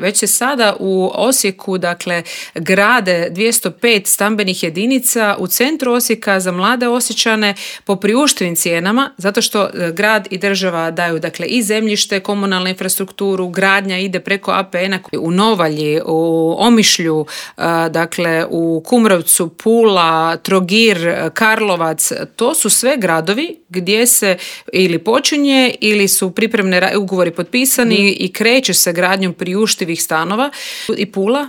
Već se sada u Osijeku, dakle, grade 205 stambenih jedinica u centru Osijeka za mlade Osječane po priuštivim cijenama, zato što grad i država daju, dakle, i zemljište, komunalnu infrastrukturu, gradnja ide preko APN-a u Novalji, u Omišlju, dakle, u Kumrovcu, Pula, Trogir, Karlovac. To su sve gradovi gdje se ili počinje ili su pripremne ugovori potpisani i kreće se gradnjom priuštivih stanova. I Pula,